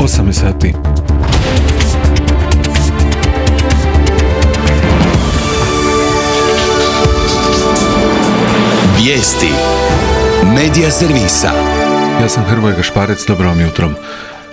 8 sati. Vijesti Medija servisa. Ja sam Hrvoje Gašparec, dobro vam jutro.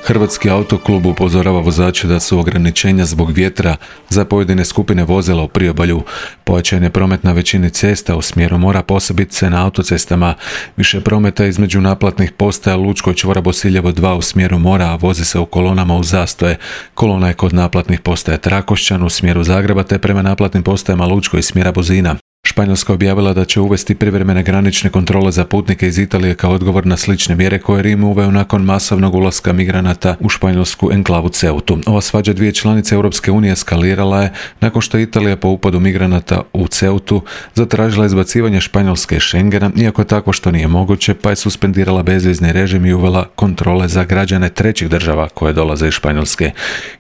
Hrvatski autoklub upozorava vozače da su ograničenja zbog vjetra za pojedine skupine vozila u priobalju. Pojačan je promet na većini cesta u smjeru mora, posebice na autocestama. Više prometa između naplatnih postaja Lučko i čvora Bosiljevo 2 u smjeru mora, a vozi se u kolonama u zastoje. Kolona je kod naplatnih postaja Trakošćan u smjeru Zagreba te prema naplatnim postajama Lučko i smjera Buzina. Španjolska objavila da će uvesti privremene granične kontrole za putnike iz Italije kao odgovor na slične mjere koje Rim uveo nakon masovnog ulaska migranata u španjolsku enklavu Ceutu. Ova svađa dvije članice Europske unije eskalirala je nakon što Italija po upadu migranata u Ceutu zatražila izbacivanje Španjolske iz Schengena, iako je tako što nije moguće, pa je suspendirala bezvizni režim i uvela kontrole za građane trećih država koje dolaze iz Španjolske.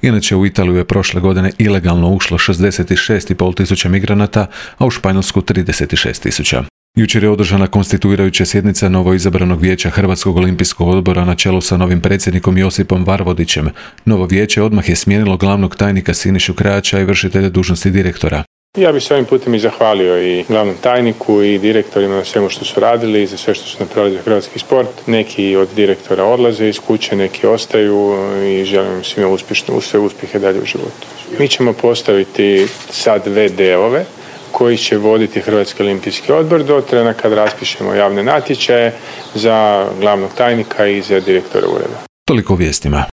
Inače, u Italiju je prošle godine ilegalno ušlo 66,5 tisuća migranata, a u Španjolsku 36.000. Jučer je održana konstituirajuća sjednica novoizabranog vijeća Hrvatskog olimpijskog odbora na čelu sa novim predsjednikom Josipom Varvodićem. Novo vijeće odmah je smijenilo glavnog tajnika Sinišu Krajača i vršitelja dužnosti direktora. Ja bih se ovim putem i zahvalio i glavnom tajniku i direktorima na svemu što su radili i za sve što su napravili za hrvatski sport. Neki od direktora odlaze iz kuće, neki ostaju i želim im svima sve uspjehe dalje u životu. Mi ćemo postaviti sad VD-ove koji će voditi Hrvatski olimpijski odbor do trena kad raspišemo javne natječaje za glavnog tajnika i za direktora ureda. Toliko o vijestima.